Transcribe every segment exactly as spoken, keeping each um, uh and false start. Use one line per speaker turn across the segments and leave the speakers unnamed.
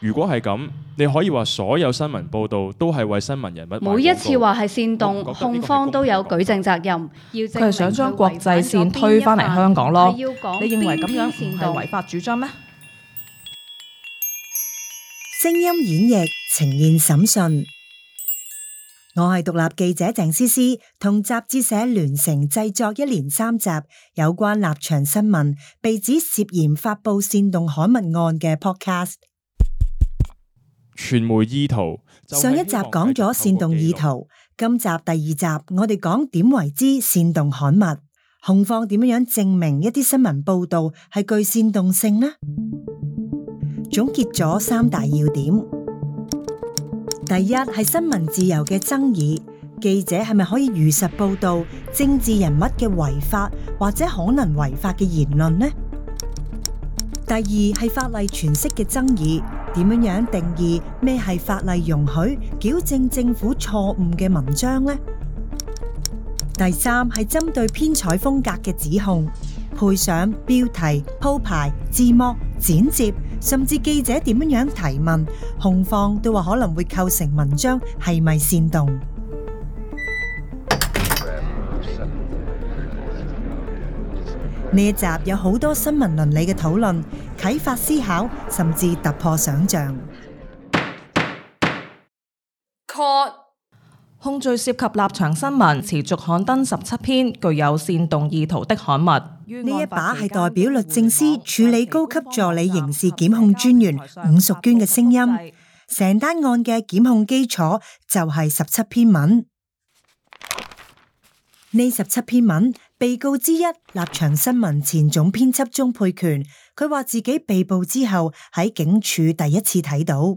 如果係咁，你可以話所有新聞報導都係為新聞人物賣廣告。
每一次話係煽動，控方都有舉證責任。
佢係想將國際線推返嚟香港咯。你認為咁樣唔係違法主張咩？
聲音演繹呈現審訊，我係獨立記者鄭思思，同雜誌社聯成製作一連三集有關立場新聞被指涉嫌發布煽動刊物案嘅 podcast。
傳媒意圖，
上一集講咗煽動意圖，今集第二集我哋講點為之煽動刊物，控方點樣證明一啲新聞報道係具煽動性呢？總結咗三大要點。第一係新聞自由嘅爭議，記者係咪可以如實報道政治人物嘅違法或者可能違法嘅言論呢？第二係法例詮釋嘅爭議，點樣樣定義咩係法例容許矯正政府錯誤嘅文章呢？第三係針對編採風格嘅指控，配上標題、鋪排、字幕、剪接，甚至記者點樣樣提問，控方都話可能會構成文章係咪煽動。呢一集有好多新聞倫理嘅討論，啟發思考，甚至突破想象。
控罪涉及立場新聞持續刊登十七篇具有煽動意圖的刊物。呢
一把係代表律政司處理高級助理刑事檢控專員伍淑娟嘅聲音。成單案嘅檢控基礎就係十七篇文。呢十七篇文，被告之一立場新聞前總編輯鍾沛權，佢話自己被捕之後喺警署第一次睇到，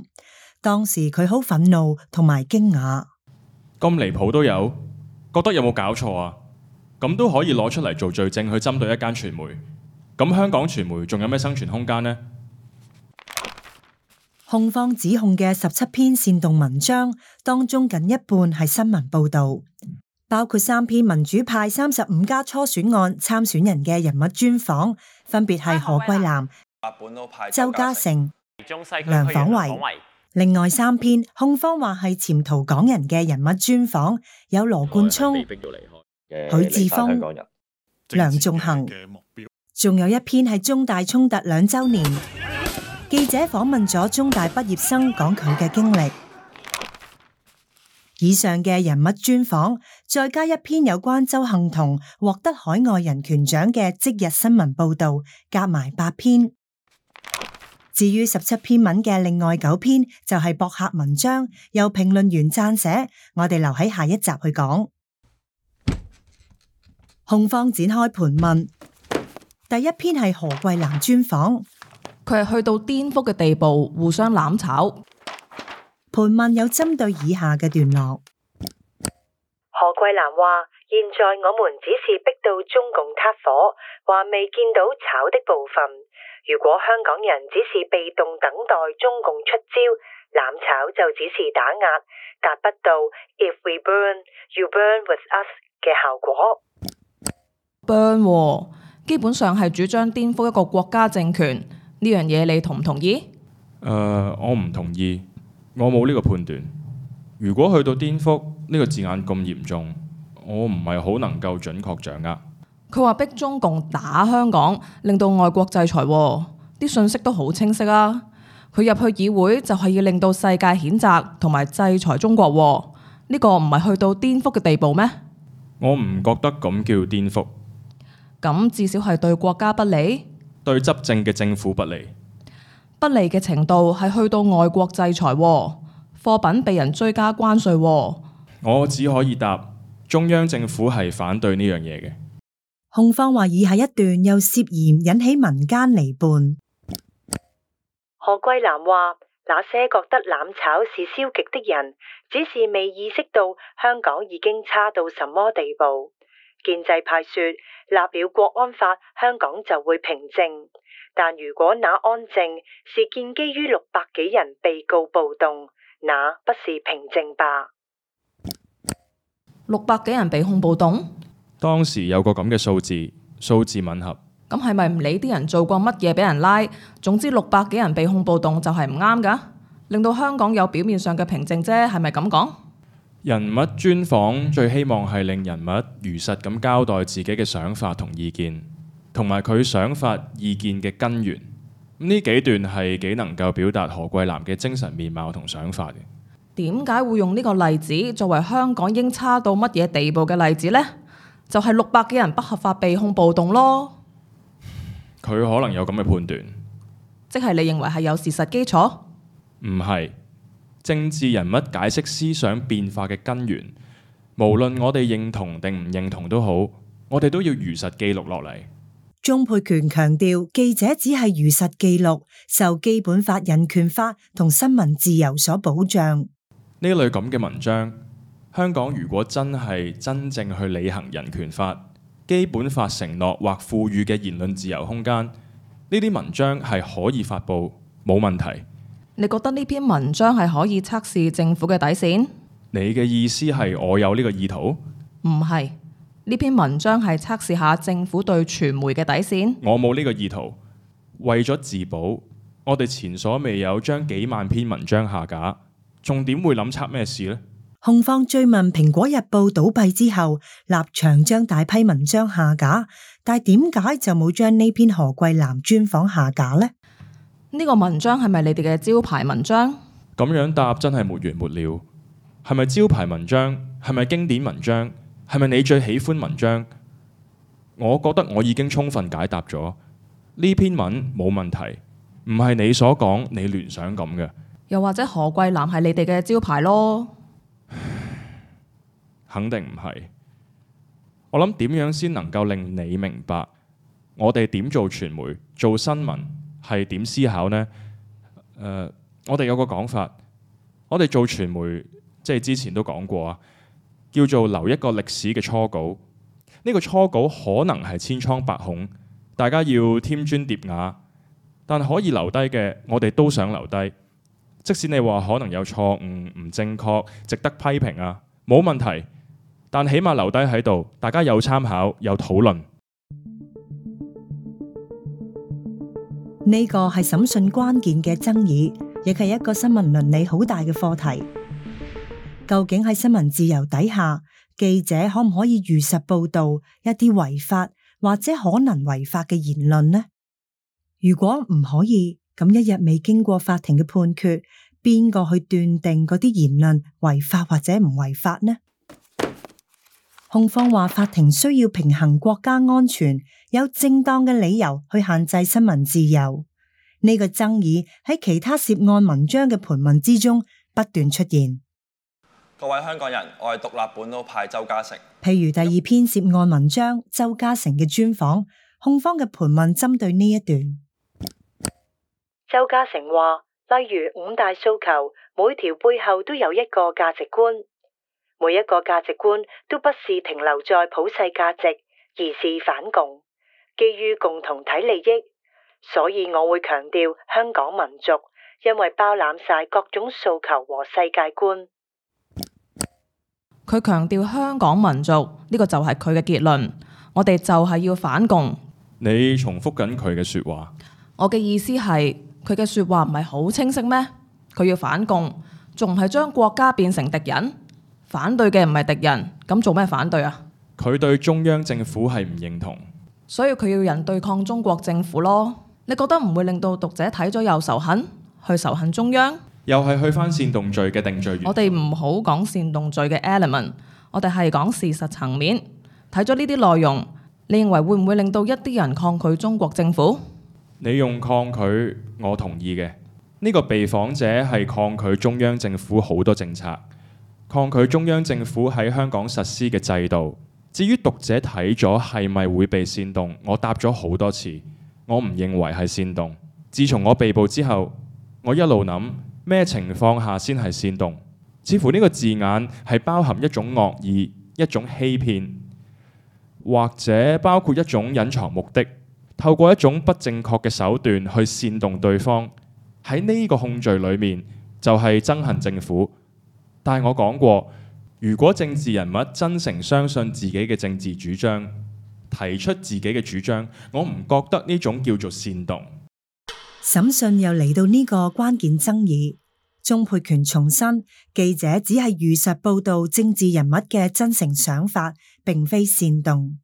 當時佢好憤怒同埋驚訝。
咁離譜都有，覺得有冇搞錯啊？咁都可以攞出嚟做罪證去針對一間傳媒，咁香港傳媒仲有咩生存空間呢？
控方指控嘅十七篇煽動文章當中，近一半係新聞報導，包括三篇民主派三十五家初選案參選人嘅人物專訪，分別係何桂藍、周家成、梁晃維。另外三篇控方話係潛逃港人嘅人物專訪，有羅冠聰、許智峰、梁頌恆，仲有一篇係中大衝突兩週年，記者訪問咗中大畢業生講佢嘅經歷。以上嘅人物專訪，再加一篇有關鄒幸彤獲得海外人權獎嘅即日新聞報導，夾埋八篇。至於十七篇文嘅另外九篇就係博客文章，由評論員撰寫，我哋留喺下一集去講。控方展開盤問，第一篇係何桂藍專訪，
佢係去到顛覆嘅地步，互相攬炒。
盤問有針對以下嘅段落。
何桂藍話：現在我們只是逼到中共撻火，話未見到炒的部分。如果香港人只是被動等待中共出招，攬炒就只是打壓，達不到 If we burn, you burn with us 嘅效果。
burn、哦、基本上係主張顛覆一個國家政權，呢樣嘢你同唔同意？
誒、呃，我唔同意，我冇呢個判斷。如果去到顛覆呢個字眼咁嚴重，我唔係好能夠準確掌握。
佢話逼中共打香港，令到外國制裁，啲信息都好清晰啊！佢入去議會就係要令到世界譴責同埋制裁中國，呢個唔係去到顛覆嘅地步咩？
我唔覺得咁叫顛覆。
咁至少係對國家不利，
對執政嘅政府不利。
不利嘅程度係去到外國制裁，貨品被人追加關稅。
我只可以答中央政府係反對呢樣嘢嘅。
控方話以下一段又涉嫌引起民間離叛。
何桂藍話：那些覺得攬炒是消極的人，只是未意識到香港已經差到什麼地步。建制派說立了國安法，香港就會平靜。但如果那安靜是建基於六百幾人被告暴動，那不是平靜吧？
六百幾人被控暴動？
當時有個咁嘅數字，數字吻合。
咁係咪唔理啲人做過乜嘢俾人拉？總之六百幾人被控暴動就係唔啱㗎？令到香港有表面上嘅平靜啫，係咪咁講？
人物專訪最希望係令人物如實咁交代自己嘅想法同意見，同埋佢想法意見嘅根源。呢幾段係幾能夠表達何桂藍嘅精神面貌同想法嘅。
點解會用呢個例子作為香港已經差到乜嘢地步嘅例子呢？就係六百幾人不合法被控暴動咯。
佢可能有咁嘅判斷，
即係你認為係有事實基礎？
唔係。政治人物解釋思想變化嘅根源，無論我哋認同定唔認同都好，我哋都要如實記錄落嚟。
鍾沛權強調，記者只係如實記錄，受基本法、人權法同新聞自由所保障。
呢類咁嘅文章，香港如果真係真正去履行人權法、基本法承諾或賦予嘅言論自由空間，呢啲文章係可以發布，冇問題。
你覺得呢篇文章係可以測試政府嘅底線？
你嘅意思係我有呢個意圖？
唔係，呢篇文章係測試下政府對傳媒嘅底線。
我冇呢個意圖。為咗自保，我哋前所未有將幾萬篇文章下架，仲點會諗測咩事呢？
控方追問《蘋果日報》倒閉之後，立場將大批文章下架，但係點解就冇將呢篇何桂藍專訪下架呢？
呢個文章係咪你哋嘅招牌文章？
咁樣答真係沒完沒了。係咪招牌文章？係咪經典文章？係咪你最喜歡文章？我覺得我已經充分解答咗。呢篇文冇問題，唔係你所講你聯想咁嘅。
又或者何桂藍係你哋嘅招牌咯？
肯定唔係。我諗點樣先能夠令你明白我哋點做傳媒、做新聞係點思考呢？誒、呃，我哋有個講法，我哋做傳媒，即係之前都講過啊，叫做留一個歷史嘅初稿。呢、這個初稿可能係千瘡百孔，大家要添磚疊瓦，但可以留低嘅，我哋都想留低。即使你話可能有錯誤、唔正確、值得批評啊，冇問題。但起碼留低喺度，大家有參考、有討論。
呢個係審訊關鍵嘅爭議，亦係一個新聞倫理好大嘅課題。究竟喺新聞自由底下，記者可唔可以如實報導一啲違法或者可能違法嘅言論呢？如果唔可以，咁一日未經過法庭嘅判決，邊個去斷定嗰啲言論違法或者唔違法呢？控方話法庭需要平衡國家安全，有正當嘅理由去限制新聞自由。呢個爭議喺其他涉案文章嘅盤問之中不斷出現。
各位香港人，我係獨立本土派周家成。
譬如第二篇涉案文章周家成嘅專訪，控方嘅盤問針對呢一段。
周家成話，例如五大訴求，每條背後都有一個價值觀。每一個價值觀都不是停留在普世價值，而是反共，基於共同體利益。所以我會強調香港民族，因為包攬晒各種訴求和世界觀。
佢強調香港民族，呢個就係佢嘅結論。我哋就係要反共。
你重複緊佢嘅說話。
我嘅意思係，佢嘅說話唔係好清晰咩？佢要反共，仲唔係將國家變成敵人？反對嘅唔係敵人，咁做咩反對啊？
佢對中央政府係唔認同，
所以佢要人對抗中國政府咯。你覺得唔會令到讀者睇咗又仇恨，去仇恨中央？
又係去返煽動罪嘅定罪原則。
我哋唔好講煽動罪嘅 element， 我哋係講事實層面。睇咗呢啲內容，你認為會唔會令到一啲人抗拒中國政府？
你用抗拒，我同意嘅。呢個被訪者係抗拒中央政府好多政策，抗拒中央政府喺香港實施嘅制度。至於讀者睇咗係咪會被煽動，我答咗好多次，我唔認為係煽動。自從我被捕之後，我一路諗咩情況下先係煽動？似乎呢個字眼係包含一種惡意、一種欺騙，或者包括一種隱藏目的，透過一種不正確嘅手段去煽動對方。喺呢個控罪裏面，就係憎恨政府。但係我講過，如果政治人物真誠相信自己嘅政治主張，提出自己嘅主張，我唔覺得呢種叫做煽動。
審訊又嚟到呢個關鍵爭議，鍾沛權重申，記者只係如實報道政治人物嘅真誠想法，並非煽動。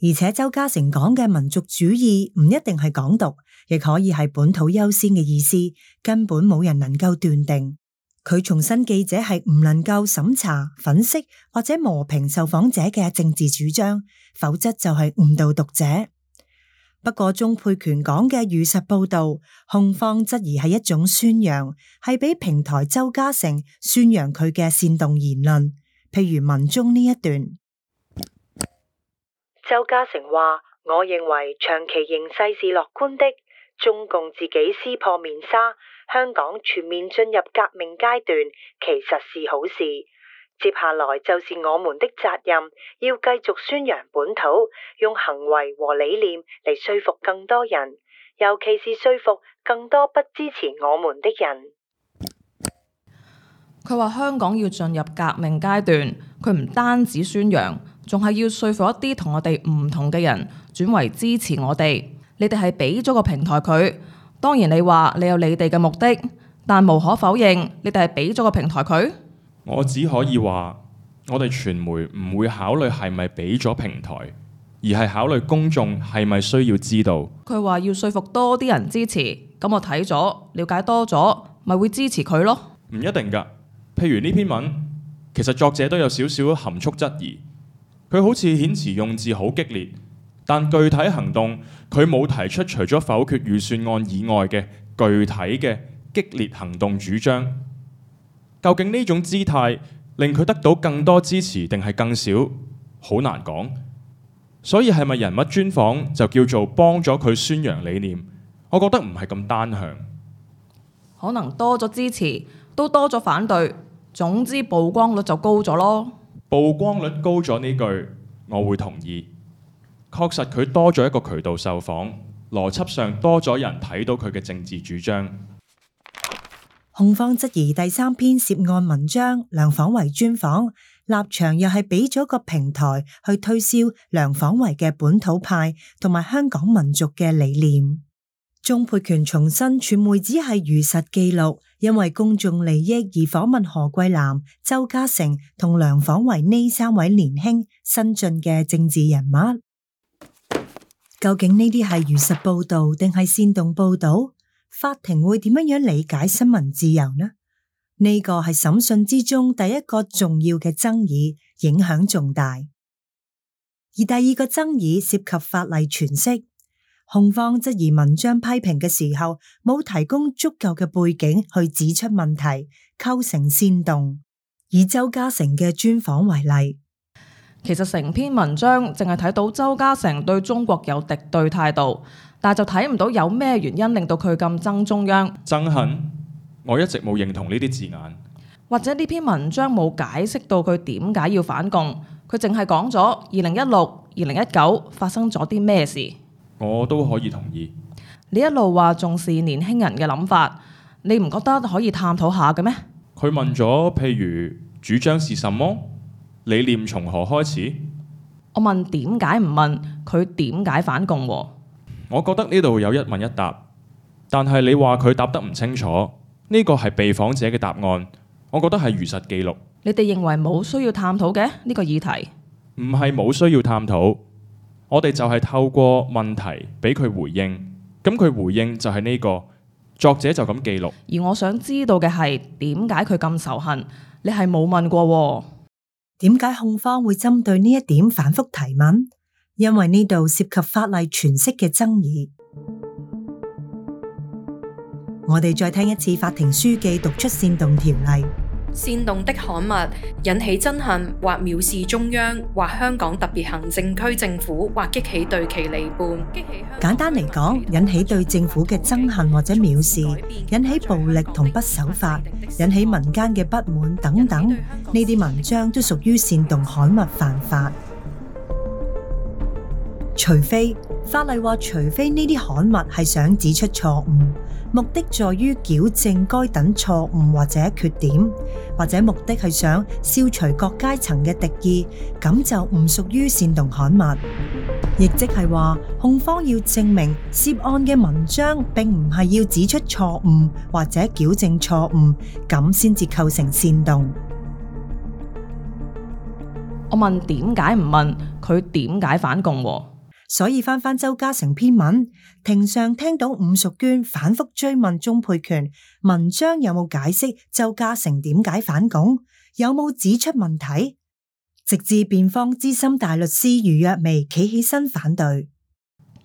而且鄒家成講嘅民族主義唔一定係港獨，亦可以係本土優先嘅意思，根本冇人能夠斷定。佢重申記者係唔能夠審查、粉飾或者磨平受訪者嘅政治主張，否則就係誤導讀者。不過鍾沛權講嘅如實報道，控方質疑係一種宣揚，係俾平台鄒家成宣揚佢嘅煽動言論，譬如文中呢一段。
鄒家成話：我認為長期形勢是樂觀的，中共自己撕破面紗，香港全面進入革命階段，其實是好事。接下來就是我們的責任，要繼續宣揚本土，用行為和理念嚟說服更多人，尤其是說服更多不支持我們的人。
佢話香港要進入革命階段，佢唔單止宣揚，仲係要說服一啲同我哋唔同嘅人轉為支持我哋。你哋係俾咗個平台佢，當然你話你有你哋嘅目的，但無可否認，你哋係俾咗個平台佢。
我只可以話，我哋傳媒唔會考慮係咪俾咗平台，而係考慮公眾係咪需要知道。
佢話要說服多啲人支持，咁我睇咗了解多咗，咪會支持佢咯。
唔一定㗎，譬如呢篇文，其實作者都有少少含蓄質疑，佢好似遣詞用字好激烈，但具體行動佢冇提出除咗否決預算案以外嘅具體嘅激烈行動主張。究竟呢種姿態令佢得到更多支持定係更少，好難講。所以係咪人物專訪就叫做幫咗佢宣揚理念？我覺得唔係咁單向。
可能多咗支持，都多咗反對，總之曝光率就高咗咯。
曝光率高咗呢句，我會同意。確實佢多咗一個渠道受訪，邏輯上多咗人睇到佢嘅政治主張。
控方質疑第三篇涉案文章梁晃維專訪立場又係俾咗個平台去推銷梁晃維嘅本土派同埋香港民族嘅理念。鍾沛權重申傳媒只係如實記錄，因為公眾利益而訪問何桂藍、鄒家成同梁晃維呢三位年輕新進嘅政治人物。究竟呢啲係如實報道定係煽動報道？法庭會點樣樣理解新聞自由呢？呢個係審訊之中第一個重要嘅爭議，影響重大。而第二個爭議涉及法例詮釋，控方質疑文章批評嘅時候冇提供足夠嘅背景去指出問題，構成煽動。以鄒家成嘅專訪為例，
其實成篇文章淨係睇到鄒家成對中國有敵對態度，但就睇唔到有咩原因令到佢咁憎中央。
憎恨？我一直冇認同呢啲字眼。
或者呢篇文章冇解釋到佢點解要反共，佢淨係講咗二零一六、二零一九發生咗啲咩事。
我都可以同意。
你一路話重視年輕人嘅諗法，你唔覺得可以探討下嘅咩？
佢問咗，譬如主張是什麼？理念從何開始？
我問點解唔問佢點解反共喎？
我覺得呢度有一問一答，但係你話佢答得唔清楚，呢個係被訪者嘅答案，我覺得係如實記錄。
你哋認為冇需要探討嘅呢個議題？
唔係冇需要探討，我哋就係透過問題俾佢回應，咁佢回應就係呢個，作者就咁記錄。
而我想知道嘅係點解佢咁仇恨？你係冇問過喎。
點解控方會針對呢一點反覆提問？因為呢度涉及法例詮釋嘅爭議。我哋再聽一次法庭書記讀出煽動條例。
煽動的刊物引起憎恨或藐視中央或香港特別行政區政府，或激起對其離叛。
簡單嚟講，引起對政府嘅憎恨或者藐視，引起暴力同不守法，引起民間嘅不滿等等，呢啲文章都屬於煽動刊物犯法。除非法例話，除非呢啲刊物係想指出錯誤，目的在於矯正該等錯誤或者缺點，或者目的係想消除各階層嘅敵意，咁就唔屬於煽動刊物。亦即係話，控方要證明涉案嘅文章並唔係要指出錯誤或者矯正錯誤，咁先至構成煽動。
我問點解唔問佢點解反共喎？
所以翻翻周家成篇文，庭上聽到伍淑娟反覆追問鍾沛權文章有冇解釋周家成點解反共，有冇指出問題，直至辯方資深大律師余若薇企起身反對。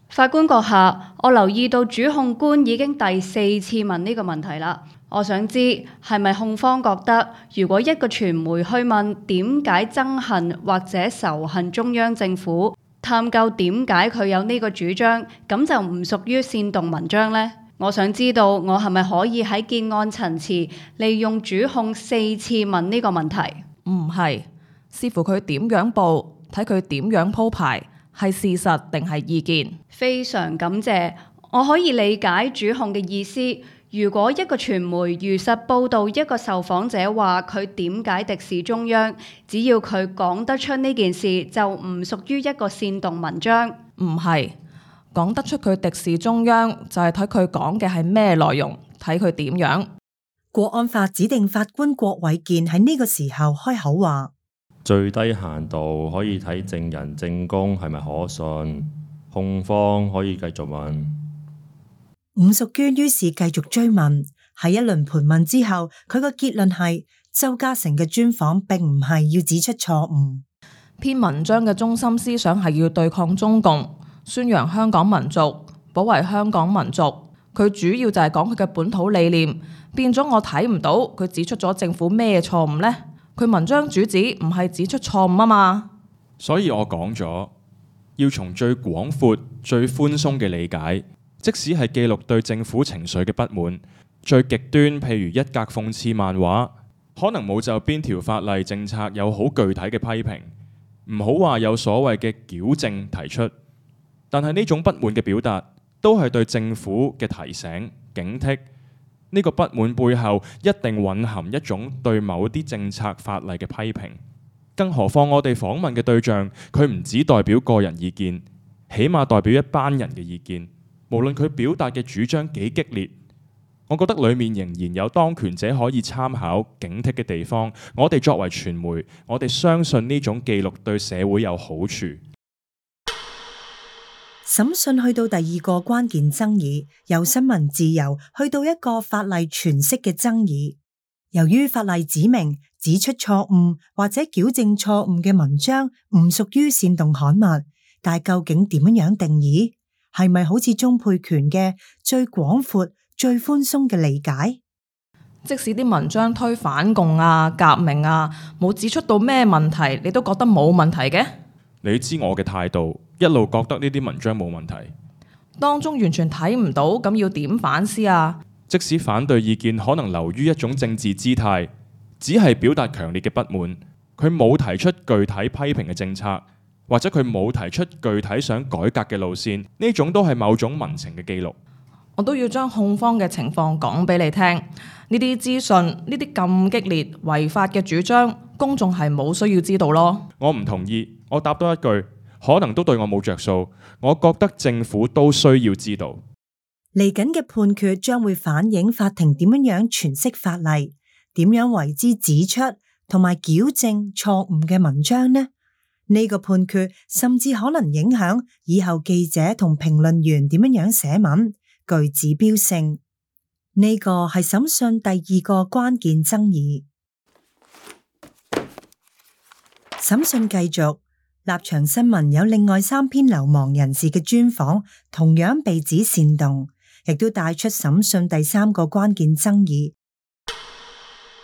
法官閣下，我留意到主控官已經第四次問呢個問題啦。我想知係咪控方覺得，如果一個傳媒去問點解憎恨或者仇恨中央政府，探究點解佢有呢個主張，咁就唔屬於煽動文章呢？我想知道我係咪可以喺結案陳詞利用主控四次問呢個問題？
唔係。視乎佢點樣報，睇佢點樣鋪排，係事實定係意見。
非常感謝，我可以理解主控嘅意思。如果一個傳媒如實報導一個受訪者話佢點解敵視中央，只要佢講得出呢件事，就唔屬於一個煽動文章。
唔係，講得出佢敵視中央，就係睇佢講嘅係咩內容，睇佢點樣。
國安法指定法官郭偉健喺呢個時候開口話：
最低限度可以睇證人證供係咪可信，控方可以繼續問。
伍淑娟於是繼續追問，喺一輪盤問之後，佢個結論係周家成嘅專訪並唔係要指出錯誤。
篇文章嘅中心思想係要對抗中共，宣揚香港民族，保衛香港民族。佢主要就係講佢嘅本土理念，變咗我睇唔到佢指出咗政府咩錯誤呢？佢文章主旨唔係指出錯誤啊嘛，
所以我講咗要從最廣闊、最寬鬆嘅理解，即使係記錄對政府情緒嘅不滿，最極端譬如一格諷刺漫畫，可能冇就邊條法例政策有好具體嘅批評，唔好話有所謂嘅矯正提出，但係呢種不滿嘅表達都係對政府嘅提醒、警惕。呢個不滿背後一定蘊含一種對某啲政策法例嘅批評，更何況我哋訪問嘅對象，佢唔只代表個人意見，起碼代表一班人嘅意見。無論佢表達嘅主張幾激烈，我覺得裡面仍然有當權者可以參考、警惕嘅地方。我哋作為傳媒，我哋相信呢種記錄對社會有好處。
審訊去到第二個關鍵爭議，由新聞自由去到一個法例詮釋嘅爭議。由於法例指明指出錯誤或者矯正錯誤嘅文章唔屬於煽動刊物，但究竟點樣定義？係咪好似鍾沛權嘅最廣闊、最寬鬆嘅理解？
即使啲文章推反共啊、革命啊，冇指出到咩問題，你都覺得冇問題嘅？
你知我嘅態度，一路覺得呢啲文章冇問題。
當中完全睇唔到，咁要點反思啊？
即使反對意見可能流於一種政治姿態，只係表達強烈嘅不滿，佢冇提出具體批評嘅政策，或者佢冇提出具體想改革嘅路線，呢種都係某種民情嘅記錄。
我都要將控方嘅情況講俾你聽。呢啲資訊，呢啲咁激烈違法嘅主張，公眾係冇需要知道咯。
我唔同意，我答多一句，可能都對我冇着數。我覺得政府都需要知道。
嚟緊嘅判決將會反映法庭點樣樣詮釋法例，點樣為之指出同埋矯正錯誤嘅文章呢？呢個判決甚至可能影響以後記者同評論員點樣樣寫文，具指標性。呢個係審訊第二個關鍵爭議。審訊繼續，立場新聞有另外三篇流亡人士嘅專訪，同樣被指煽動，亦都帶出審訊第三個關鍵爭議，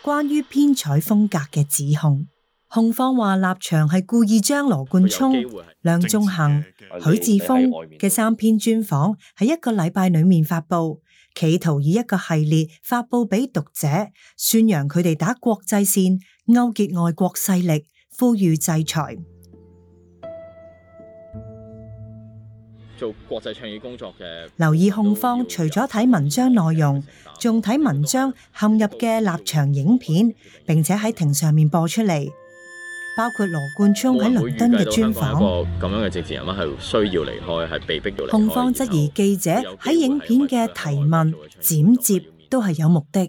關於編採風格嘅指控。控方話立場係故意將羅冠聰、梁頌恆、許智峰嘅三篇專訪喺一個禮拜裏面發佈，企圖以一個系列發佈俾讀者，宣揚佢哋打國際線、勾結外國勢力，呼籲制裁。
做國際倡議工作嘅，
留意控方除咗睇文章內容，仲睇文章嵌入嘅立場影片，並且喺庭上面播出嚟。包括羅冠聰喺倫敦嘅專訪。
個咁樣嘅政治人物係需要離開，係被逼要離開。
控方質疑記者喺影片嘅提問、剪接都係有目的。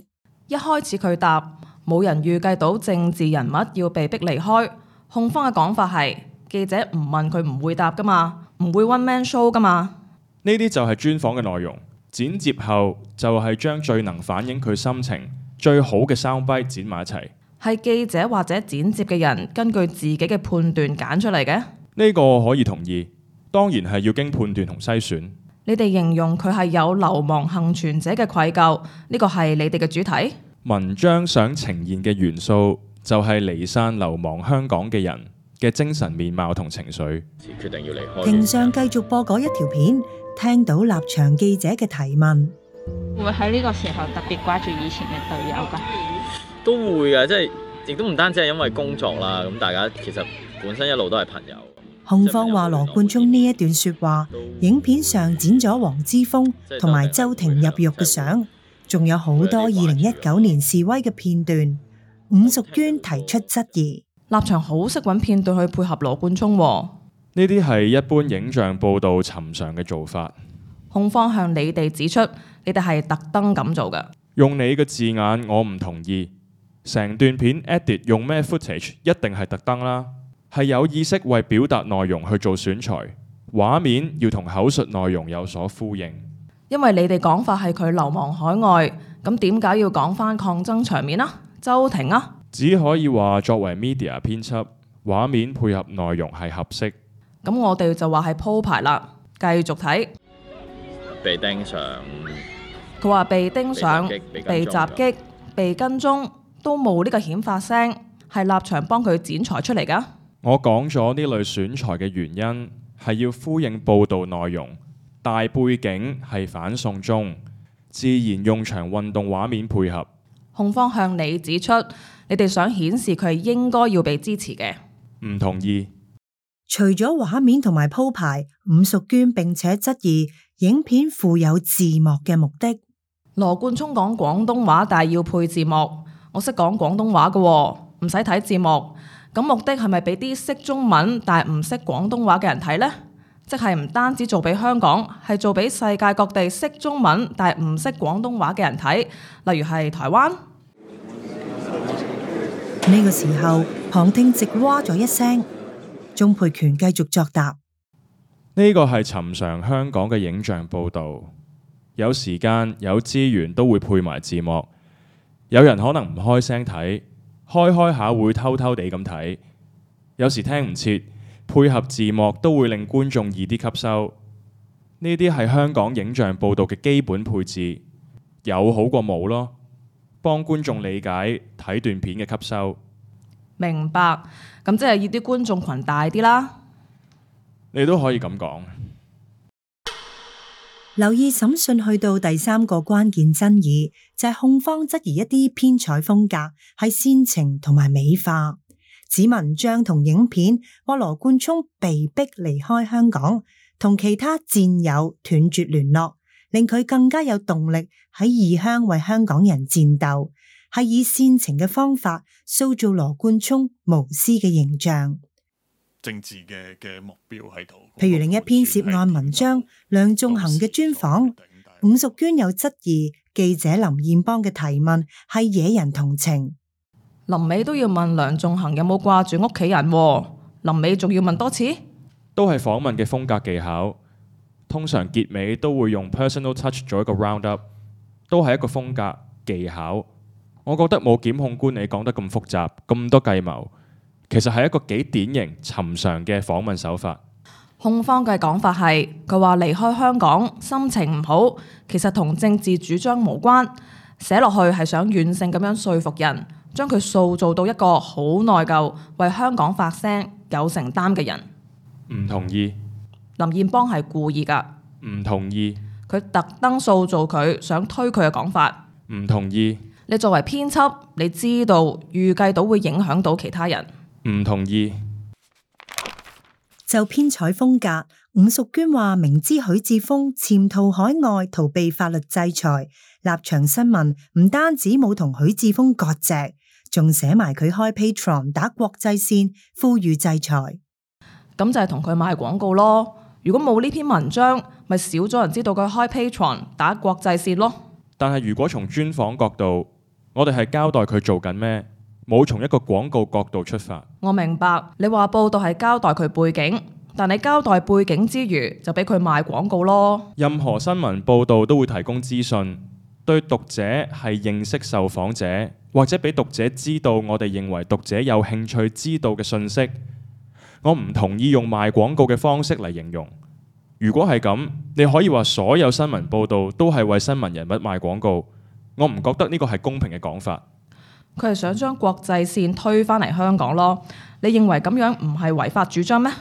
一開始佢答冇人預計到政治人物要被逼離開。控方嘅講法係記者唔問佢唔會答噶嘛，唔會 one man show 噶嘛。
呢啲就係專訪嘅內容，剪接後就係將最能反映佢心情最好嘅 soundbite 剪埋一齊。
係記者或者剪接嘅人根據自己嘅判斷揀出嚟嘅。
呢個可以同意，當然係要經判斷同篩選。
你哋形容佢係有流亡幸存者嘅愧疚，呢個係你哋嘅主題。
文章想呈現嘅元素就係離散流亡香港嘅人嘅精神面貌同情緒。
決定要離開。
庭上繼續播嗰一條片，聽到立場記者嘅提問。
會喺呢個時候特別掛住以前嘅隊友㗎？
都會嘅，即係亦都唔單止係因為工作啦，咁大家其實本身一路都係朋友。
控方話羅冠聰呢一段說話，影片上剪咗黃之鋒同埋周庭入獄嘅相，仲有好多二零一九年示威嘅片段。伍淑娟提出質疑，
立場好識揾片段去配合羅冠聰喎。
呢啲係一般影像報導尋常嘅做法。
控方向你哋指出，你哋係特登咁做嘅。
用你嘅字眼，我唔同意。成段片 edit 用咩 footage 一定係特登啦，係有意識為表達內容去做選材，畫面要同口述內容有所呼應。
因為你哋講法係佢流亡海外，咁點解要講返抗爭場面啊？周庭啊？
只可以話作為 media 編輯，畫面配合內容係合適。
咁我哋就話係鋪排啦，繼續睇。
被盯上，
佢話被盯上、
被
被襲擊、被跟蹤。都冇呢個顯發聲，係立場幫佢剪裁出嚟㗎。
我講咗呢類選材嘅原因係要呼應報導內容，大背景係反送中，自然用場運動畫面配合。
控方向你指出，你哋想顯示佢係應該要被支持嘅。
唔同意。
除咗畫面同埋鋪排，伍淑娟並且質疑影片附有字幕嘅目的。
羅冠聰講廣東話，但係要配字幕。我識講廣東話嘅，唔使睇字幕。咁目的係咪俾啲識中文但係唔識廣東話嘅人睇呢？即係唔單止做俾香港，係做俾世界各地識中文但係唔識廣東話嘅人睇，例如係台灣。
呢個時候，旁聽席哇咗一聲，鍾沛權繼續作答。
呢個係尋常香港嘅影像報導，有時間有資源都會配埋字幕。有人可能唔開聲睇，開開下會偷偷地咁睇。有時聽唔切，配合字幕都會令觀眾易啲吸收。呢啲係香港影像報導嘅基本配置，有好過冇咯，幫觀眾理解睇段片嘅吸收。
明白，咁即係要啲觀眾群大啲啦。
你都可以咁講。
留意審訊去到第三個關鍵爭議，就係控方質疑一啲編採風格係煽情同埋美化，指文章同影片話羅冠聰被逼離開香港，同其他戰友斷絕聯絡，令佢更加有動力喺異鄉為香港人戰鬥，係以煽情嘅方法塑造羅冠聰無私嘅形象。
政治嘅嘅目標喺度。
譬如另一篇涉案文章，梁頌恆嘅專訪，伍淑娟有質疑記者林彥邦嘅提問係惹人同情。
臨尾都要問梁頌恆有冇掛住屋企人，臨尾仲要問多次。
都係訪問嘅風格技巧，通常結尾都會用 personal touch 做一個 round up，都係一個風格技巧。我覺得冇檢控官你講得咁複雜，咁多計謀。其實係一個幾典型、尋常嘅訪問手法。
控方嘅講法係，佢話離開香港心情唔好，其實同政治主張無關。寫落去係想軟性咁樣說服人，將佢塑造到一個好內疚、為香港發聲、有承擔嘅人。
唔同意。
林彥邦係故意㗎。
唔同意。
佢特登塑造佢，想推佢嘅講法。
唔同意。
你作為編輯，你知道預計到會影響到其他人。
唔同意。
就編採風格，伍淑娟話明知許智峰潛逃海外逃避法律制裁，立場新聞唔單止冇同許智峰割席，仲寫埋佢開 Patreon 打國際線，呼籲制裁。
咁就係同佢賣廣告咯。如果冇呢篇文章，咪少咗人知道佢開 Patreon 打國際線咯。
但係如果從專訪角度，我哋係交代佢做緊咩，冇從一個廣告角度出發。
我明白你話報道係交代佢背景，但你交代背景之餘，就俾佢賣廣告咯。
任何新聞報道都會提供資訊，對讀者係認識受訪者，或者俾讀者知道我哋認為讀者有興趣知道嘅信息。我唔同意用賣廣告嘅方式嚟形容。如果係咁，你可以話所有新聞報道都係為新聞人物賣廣告。我唔覺得呢個係公平嘅講法。
佢係想將國際線推返嚟香港咯。你認為咁樣唔係違法主張咩？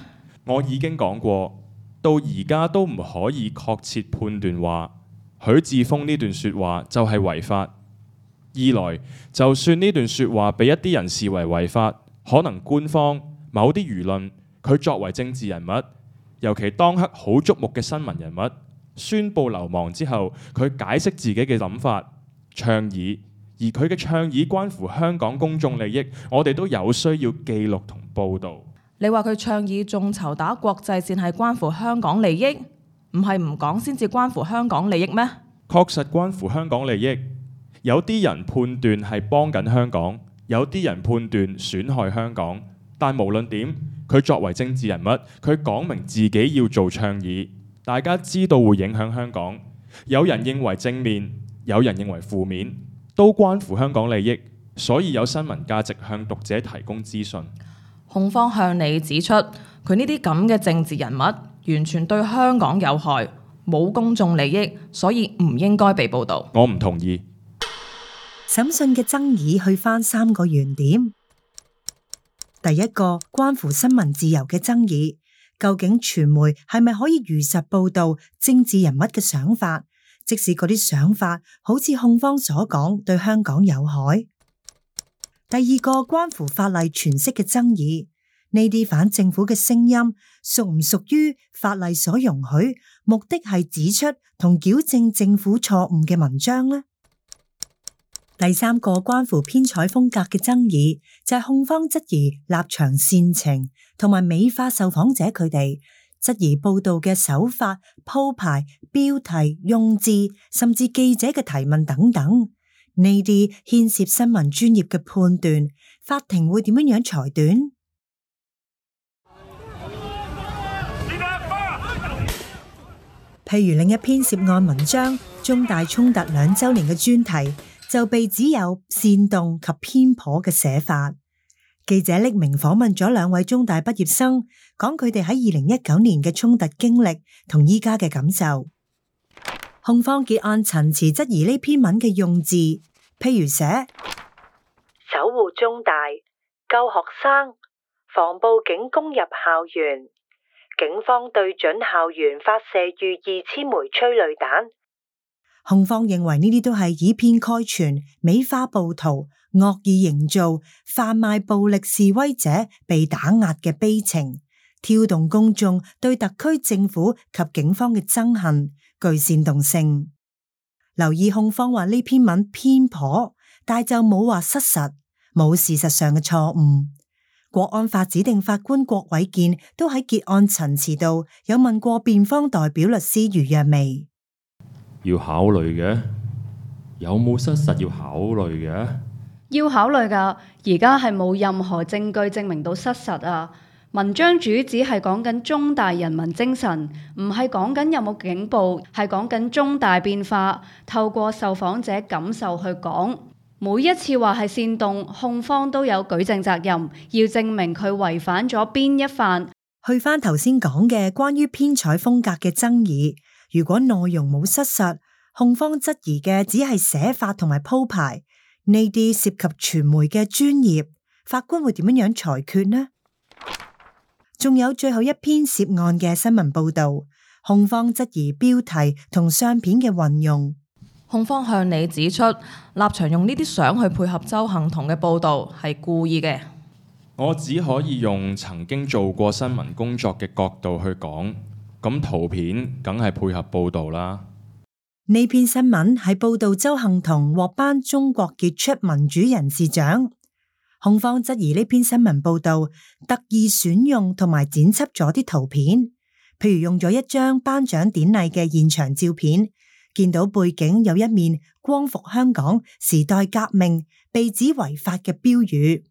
我已經講過，到而家都唔可以確切判斷話許智峰呢段説話就係違法。二來，就算呢段説話被一啲人視為違法，可能官方某啲輿論，佢作為政治人物，尤其當刻好矚目嘅新聞人物，宣布流亡之後，佢解釋自己嘅諗法、倡議，而佢嘅倡議關乎香港公眾利益，我哋都有需要記錄同報導。
你話佢倡議眾籌打國際線係關乎香港利益，唔係唔講先至關乎香港利益咩？
確實關乎香港利益。有啲人判斷係幫緊香港，有啲人判斷損害香港。但無論點，佢作為政治人物，佢講明自己要做倡議，大家知道會影響香港。有人認為正面，有人認為負面，都關乎香港利益，所以有新聞價值向讀者提供資訊。
控方向你指出，佢呢啲咁嘅政治人物完全對香港有害，冇公眾利益，所以唔應該被報導。
我唔同意。
審訊嘅爭議去返三個原點。第一個關乎新聞自由嘅爭議，究竟傳媒係咪可以如實報導政治人物嘅想法，即使嗰啲想法好似控方所講對香港有害？第二個關乎法例詮釋嘅爭議，呢啲反政府嘅聲音屬唔屬於法例所容許，目的係指出同矯正政府錯誤嘅文章呢？第三個關乎編採風格嘅爭議，就係控方質疑立場煽情，同埋美化受訪者佢哋，質疑報道嘅手法、鋪排、標題、用字，甚至記者嘅提問等等，呢啲牽涉新聞專業嘅判斷，法庭會點樣樣裁斷？譬如另一篇涉案文章，中大衝突兩週年嘅專題，就被指有煽動及偏頗嘅寫法。記者匿名訪問咗兩位中大畢業生，講佢哋喺二零一九年嘅衝突經歷同依家嘅感受。控方結案陳詞質疑呢篇文嘅用字，譬如寫
守護中大、救學生、防暴警攻入校園、警方對準校園發射逾二千枚催淚彈。
控方認為呢啲都係以偏概全、美化暴徒、惡意營造、販賣暴力示威者被打壓嘅悲情，挑動公眾對特區政府及警方嘅憎恨，具煽動性。留意控方話呢篇文偏頗，但就冇話失實，冇事實上嘅錯誤。國安法指定法官郭偉健都喺結案陳詞度有問過辯方代表律師余若薇。
要考慮嘅，有冇失實要考慮嘅？
要考慮㗎，而家係冇任何證據證明到失實啊！文章主旨係講緊中大人民精神，唔係講緊有冇警暴，係講緊中大變化，透過受訪者感受去講。每一次話係煽動，控方都有舉證責任，要證明佢違反咗邊一範。
去返頭先講嘅關於編採風格嘅爭議。如果內容冇失實，控方質疑嘅只係寫法同埋鋪排，呢啲涉及傳媒嘅專業，法官會點樣樣裁決呢？仲有最後一篇涉案嘅新聞報道，控方質疑標題同相片嘅運用。
控方向你指出，立場用呢啲相去配合鄒幸彤嘅報道係故意嘅。
我只可以用曾經做過新聞工作嘅角度去講。咁圖片梗係配合報導啦。
呢篇新聞係報導鄒幸彤獲頒中國傑出民主人士獎，控方質疑呢篇新聞報道特意選用同埋剪輯咗啲圖片，譬如用咗一張頒獎典禮嘅現場照片，見到背景有一面光復香港、時代革命被指違法嘅標語，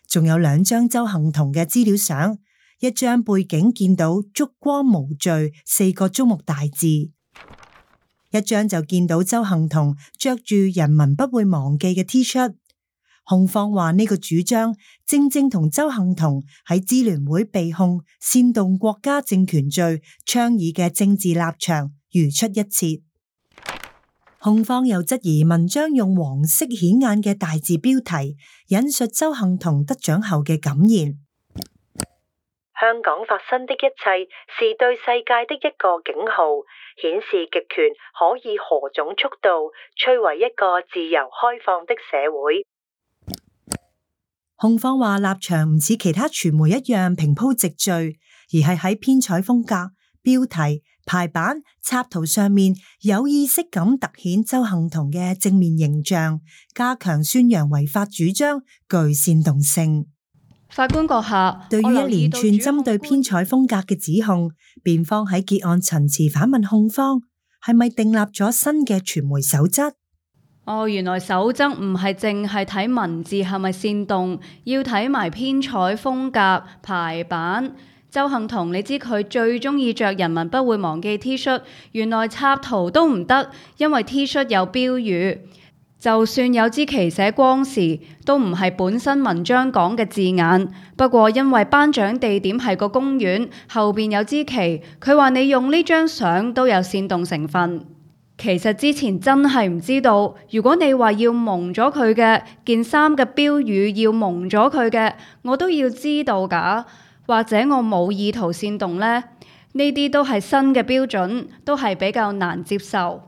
仲有兩張鄒幸彤嘅資料相，一張背景見到燭光無罪四個竹木大字，一張就見到鄒幸彤着住人民不會忘記嘅 T 恤。控方話呢個主張正正同鄒幸彤喺支聯會被控煽動國家政權罪倡議嘅政治立場如出一轍。控方又質疑文章用黃色顯眼嘅大字標題引述鄒幸彤得獎後嘅感言，
香港發生的一切是對世界的一個警號，顯示極權可以何種速度摧毀一個自由開放的社會。
控方話立場唔似其他傳媒一樣平鋪直敘，而係喺編採風格、標題、排版、插圖上面有意識咁突顯鄒幸彤嘅正面形象，加強宣揚違法主張，具煽動性。
法官閣下，
對於一連串針對編採風格嘅指控，辯方喺結案陳詞反問控方係咪訂立咗新嘅傳媒守則？
哦，原來守則唔係淨係睇文字係咪煽動，要睇埋編採風格、排版。鄒幸彤，你知佢最中意着人民不會忘記 T 恤，原來插圖都唔得，因為 T 恤有標語。就算有支旗寫光時，都唔係本身文章講嘅字眼。不過因為頒獎地點係個公園，後邊有支旗，佢話你用呢張相都有煽動成分。其實之前真係唔知道，如果你話要蒙咗佢嘅件衫嘅標語，要蒙咗佢嘅，我都要知道㗎。或者我冇意圖煽動呢？呢啲都係新嘅標準，都係比較難接受。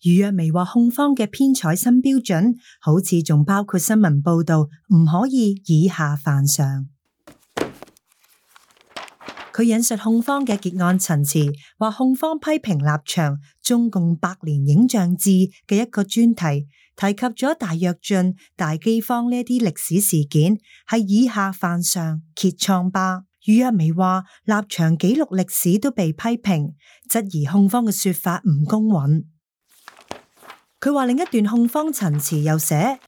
余若薇話控方嘅編採新標準，好似仲包括新聞報導唔可以以下犯上。佢引述控方嘅結案陳詞，話控方批評立場中共百年影像志嘅一個專題，提及咗大躍進、大饑荒呢啲歷史事件，係以下犯上，揭瘡疤。余若薇話立場記錄歷史都被批評，質疑控方嘅說法唔公允。佢話另一段控方陳詞又寫，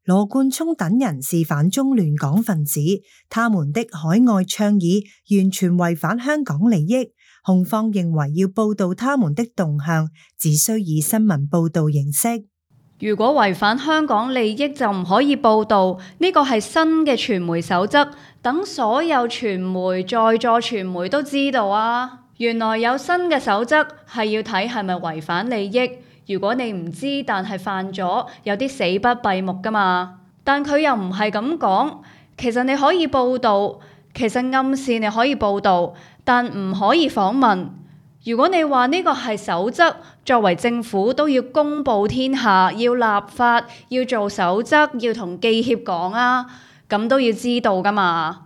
羅冠聰等人是反中亂港分子，他們的海外倡議完全違反香港利益。控方認為要報道他們的動向，只需以新聞報道形式。
如果違反香港利益就唔可以報道，呢個係新嘅傳媒守則，等所有傳媒在座傳媒都知道啊。原來有新嘅守則係要睇係咪違反利益。如果你唔知但係犯咗，有啲死不閉目㗎嘛。但佢又唔係咁講，其實你可以報道，其實暗示你可以報道，但唔可以訪問。如果你話呢個係守則，作為政府都要公佈天下，要立法，要做守則，要同記協講啊，咁都要知道㗎嘛。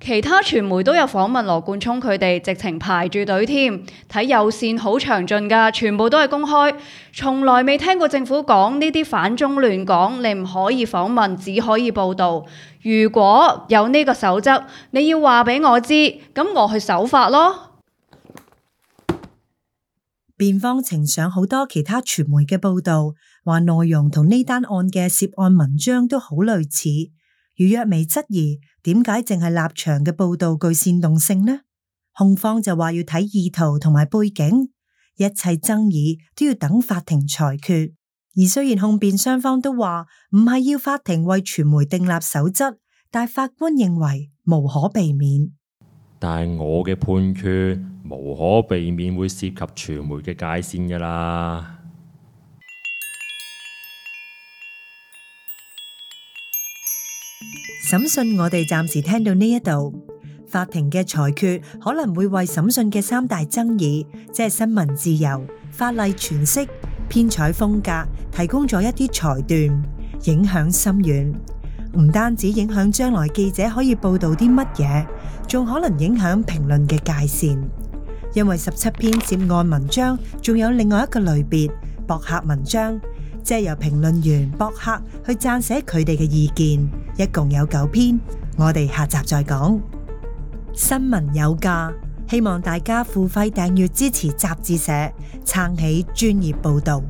其他傳媒都有訪問羅冠聰佢哋，直情排住隊添，睇有線好詳盡㗎，全部都係公開，從來未聽過政府講呢啲反中亂港，你唔可以訪問，只可以報導。如果有呢個守則，你要話俾我知，咁我去守法咯。
辯方呈上好多其他傳媒嘅報導，話內容同呢單案嘅涉案文章都好類似。余若薇質疑點解淨係立場嘅報導具煽動性呢？控方就話要睇意圖同埋背景，一切爭議都要等法庭裁決。而雖然控辯雙方都話唔係要法庭為傳媒訂立守則，但法官認為無可避免。
但係我嘅判決無可避免會涉及傳媒嘅界線㗎啦。
審訊我哋暫時聽到呢一度，法庭嘅裁決可能會為審訊嘅三大爭議，即係新聞自由、法例詮釋、編採風格，提供咗一啲裁斷，影響深遠。唔單止影響將來記者可以報道啲乜嘢，仲可能影響評論嘅界線。因為十七篇涉案文章仲有另外一個類別，博客文章，係由評論員、博客去撰寫佢哋嘅意見，一共有九篇。我哋下集再講。新聞有價，希望大家付費訂閱支持雜誌社，撐起專業報道。